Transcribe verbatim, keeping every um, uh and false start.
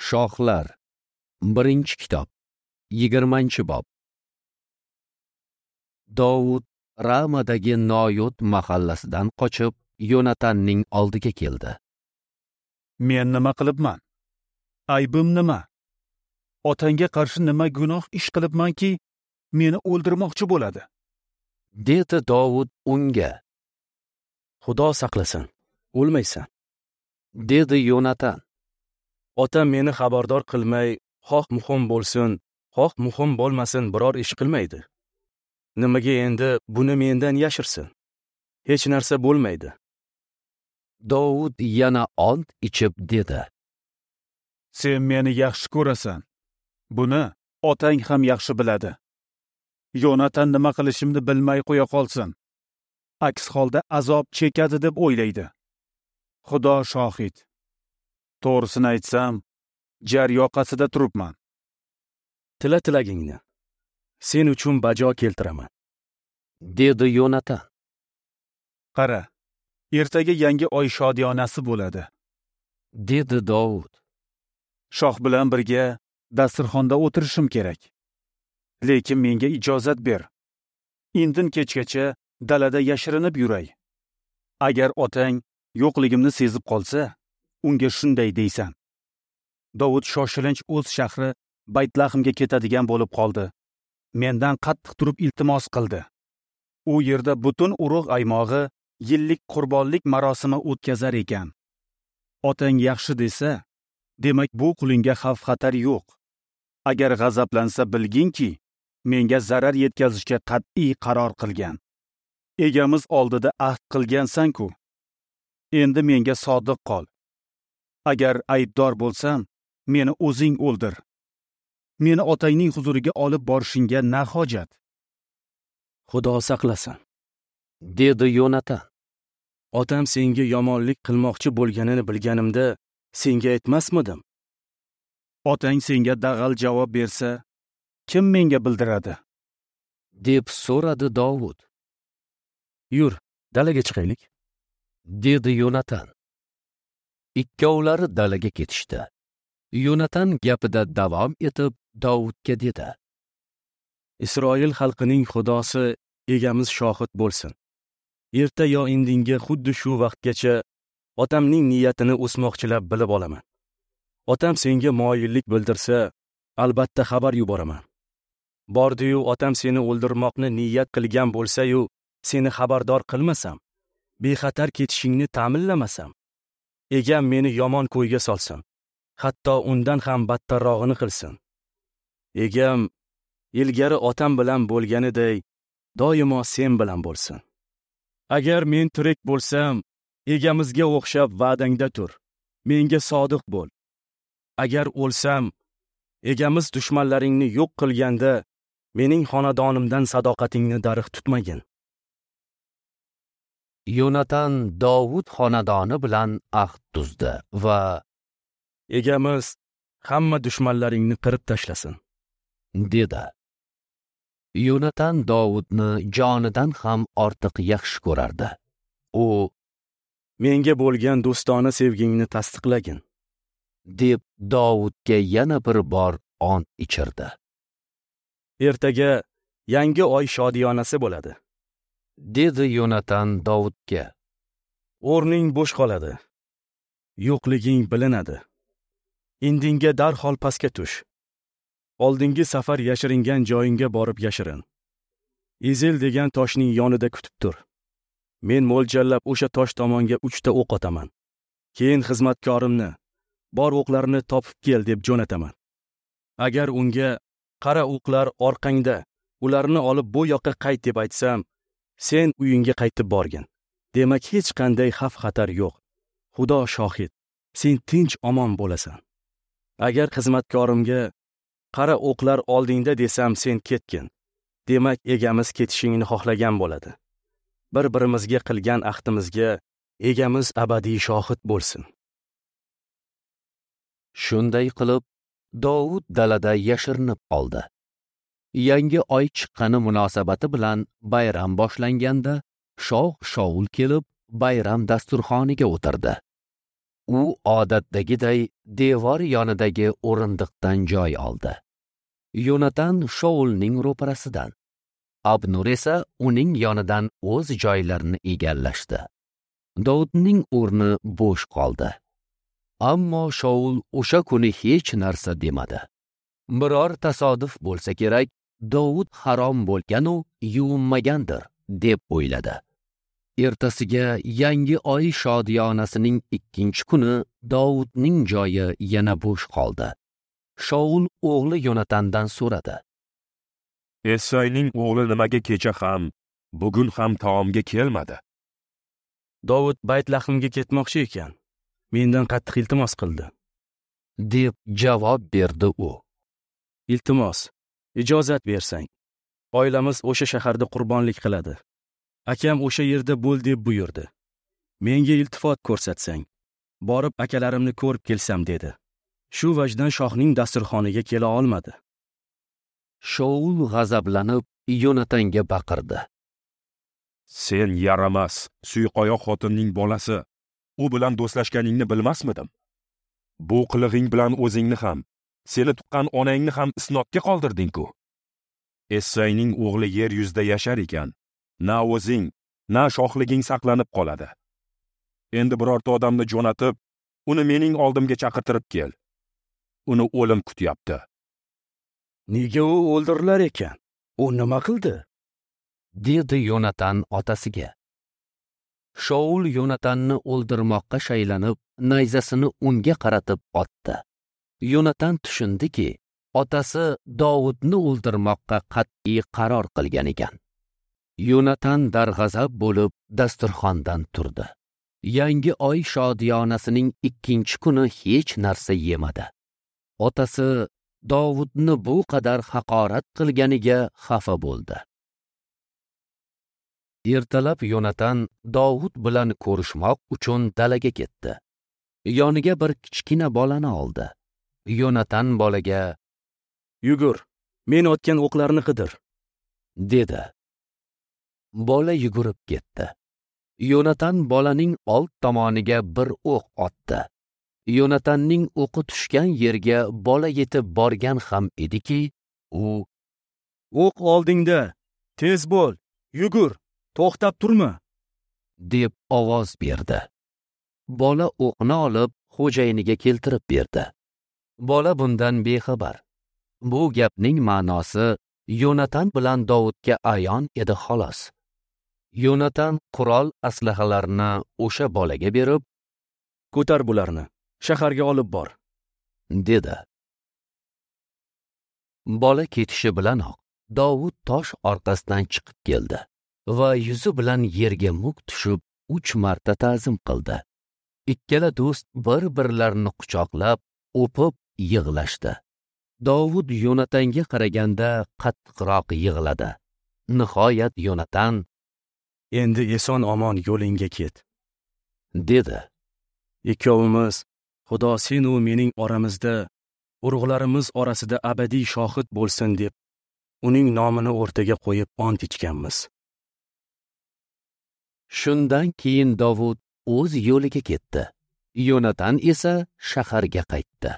Shohlar, birinchi kitob, yigirmanchi bob. Dovud Ramadagi Noyot mahallasidan qochib, Yonatanning oldiga keldi. Men nima qilibman? Aybim nima? Otangga qarshi nima gunoh ish qilibmanki, meni o'ldirmoqchi bo'ladi? Dedi Dovud unga. Xudo saqlasin, o'lmaysan, dedi Yonatan. Otam meni xabardor qilmay, xoh muhim bo'lsin, xoh muhim bo'lmasin biror ish qilmaydi. Nimaga endi buni mendan yashirsin? Hech narsa bo'lmaydi. Dovud yana ont ichib dedi: Sen meni yaxshi ko'rasan. Buni otang ham yaxshi biladi. Yonatan nima qilishimni bilmay qo'ya qolsin. Aks holda azob chekadi deb o'ylaydi. Xudo shohid. To'g'risini aytsam, jar yoqasida turibman. Tila tilagingni. Sen uchun bajo keltiraman, dedi Yonatan. Qara, ertaga yangi oy shodiyonasi bo'ladi, dedi Dovud. Shoh bilan birga dasturxonda o'tirishim kerak. Lekin menga ijozat ber. Indin kechgacha dalada yashirinib yuray. Agar otang yo'qligimni sezib qolsa, unga shunday deysan. Dovud shoshilinch o'z shahri Baytlahimga ketadigan bo'lib qoldi. Mendan qattiq turib iltimos qildi. U yerda butun urug' aymog'i yillik qurbonlik marosimi o'tkazar ekan. Otang yaxshi desa, demak bu qulingga xavf-xatar yo'q. Agar g'azablansa bilginki, menga zarar yetkazishga qat'iy qaror qilgan. Egamiz oldida ahd qilgansan-ku. Endi menga sodiq qol. Agar aybdor bo'lsam, meni o'zing o'ldir. Meni otangning huzuriga olib borishingga na hojat? Xudo saqlasin, dedi Yonatan. Otam senga yomonlik qilmoqchi bo'lganini bilganimda senga aytmasmidim? Otang senga dag'al javob bersa, kim menga bildiradi? Deb so'radi Dovud. Yur, dalaga chiqaylik, dedi Yonatan. Ikkovlari dalaga ketishdi. Yonatan gapida davom etib Dovudga dedi: Isroil xalqining Xudosi egamiz shohid bo'lsin. Erta yo indinga xuddi shu vaqtgacha otamning niyatini o'smoqchilab bilib olaman. Otam senga moyillik bildirsa, albatta xabar yuboraman. Bordi-yu otam seni o'ldirmoqni niyat qilgan bo'lsa-yu, seni xabardor qilmasam, bexatar ketishingni ta'minlamasam, egam meni yomon ko'yga solsin, hatto undan ham battarrog'ini qilsin. Egam ilgari otam bilan bo'lganiday doimo sen bilan bo'lsin. Agar men tirik bo'lsam, egamizga o'xshab va'dangda tur, menga sodiq bo'l. Agar o'lsam, egamiz dushmanlaringni yo'q qilganda mening xonadonimdan sadoqatingni darig' tutmagin. Yonatan Dovud xonadoni bilan ahd tuzdi va egamiz hamma dushmanlaringni qirib tashlasin, dedi. Yonatan Dovudni jonidan ham ortiq yaxshi ko'rardi. U menga bo'lgan do'stona sevgingni tasdiqlagin, deb Dovudga yana bir bor ont ichirdi. Ertaga yangi oy shodiyonasi bo'ladi, dedi Yonatan Dovudga. O'rning bo'sh qoladi, yo'qliging bilinadi. Indinga darhol pastga tush. Oldingi safar yashiringan joyingga borib yashirin. Ezel degan toshning yonida kutib tur. Men mo'ljallab o'sha tosh tomonga uchta o'q otaman. Keyin xizmatkorimni bor o'qlarni topib kel deb jo'nataman. Agar unga qara o'qlar orqangda, ularni olib bu yoqqa qayt deb aytsam, sen uyingga qaytib borgin. Demak hech qanday xavf-xatar yo'q. Xudo shohid, sen tinch omon bo'lasan. Agar xizmatkorimga qara o'qlar oldingda desam, sen ketgin. Demak egamiz ketishingni xohlagan bo'ladi. Bir-birimizga qilgan ahdimizga egamiz abadiy shohid bo'lsin. Shunday qilib Dovud dalada yashirinib qoldi. Yangi oy chiqqani munosabati bilan bayram boshlanganda shoh Shaul kelib bayram dasturxoniga o'tirdi. U odatdagiday devor yonidagi o'rindiqdan joy oldi. Yonatan Shaulning ro'parasidan, Abnur esa uning yonidan o'z joylarini egallashdi. Dovudning o'rni bo'sh qoldi. Ammo Shaul o'sha kuni hech narsa demadi. Biror tasodif bo'lsa kerak, Dovud harom bo'lgan-u yuvinmagandir deb o'yladi. Ertasiga yangi oy shodiyonasining ikkinchi kuni Dovudning joyi yana bo'sh qoldi. Shaul o'g'li Yonatandan so'radi. Essayning o'g'li nimaga kecha ham, bugun ham taomga kelmadi? Dovud Baytlahmga ketmoqchi ekan. Mendan qattiq iltimos qildi, deb javob berdi u. Iltimos, ijozat bersang, oilamiz o'sha shaharda qurbonlik qiladi. Akam o'sha yerda bo'l deb buyurdi. Menga iltifot ko'rsatsang, borib akalarimni ko'rib kelsam dedi. Shu vajdan shohning dasturxoniga kela olmadi. Shaul g'azablanib Yonatanga baqirdi. Sen yaramas, suyqoyoq xotinning bolasi. U bilan do'stlashganingni bilmasmidim? Bu qilig'ing bilan o'zingni ham, seni tuqqan onangni ham isnodga qoldirding-ku. Essayning o'g'li yer yuzida yashar ekan, na o'zing, na shohliging saqlanib qoladi. Endi birorta odamni jo'natib, uni mening oldimga chaqirtirib kel. Uni o'lim kutyapti. Nega u o'ldirilar ekan? U nima qildi? Dedi Yonatan otasiga. Shaul Yonatanni o'ldirmoqqa shaylanib, nayzasini unga qaratib otdi. Yonatan tushundiki, otasi Dovudni o'ldirmoqqa qat'iy qaror qilgan ekan. Yonatan darg'azab bo'lib dasturxondan turdi. Yangi oy shodiyonasining ikkinchi kuni hech narsa yemadi. Otasi Dovudni bu qadar haqorat qilganiga xafa bo'ldi. Ertalab Yonatan Dovud bilan ko'rishmoq uchun dalaga ketdi. Yoniga bir kichkina bolani oldi. Yonatan bolaga: "Yugur, men otgan o'qlarni qidir", dedi. Bola yugurib ketdi. Yonatan bolaning old tomoniga bir o'q otdi. Yonatanning o'qi tushgan yerga bola yetib borgan ham ediki, u: "O'q oldingda, tez bo'l, yugur, to'xtab turma", deb ovoz berdi. Bola o'qni olib xo'jayiniga keltirib berdi. Bola bundan bexabar. Bu gapning ma'nosi Yonatan bilan Dovudga ayon edi xolos. Yonatan qurol aslahalarni o'sha bolaga berib, "Ko'tar bularni, shaharga olib bor", dedi. Bola ketishi bilanoq Dovud tosh orqasidan chiqib keldi va yuzi bilan yerga muk tushib uch marta ta'zim qildi. Ikkala do'st bir-birlarini quchoqlab, o'pib yig'lashdi. Dovud Yonatanga qaraganda qattiqroq yig'ladi. Nihoyat Yonatan: "Endi eson omon yo'lingga ket", dedi. Ikkovimiz Xudo sen u mening oramizda, urug'larimiz orasida abadiy shohid bo'lsin deb uning nomini o'rtaga qo'yib ont ichganmiz. Shundan keyin Dovud o'z yo'liga ketdi. Yonatan esa shaharga qaytdi.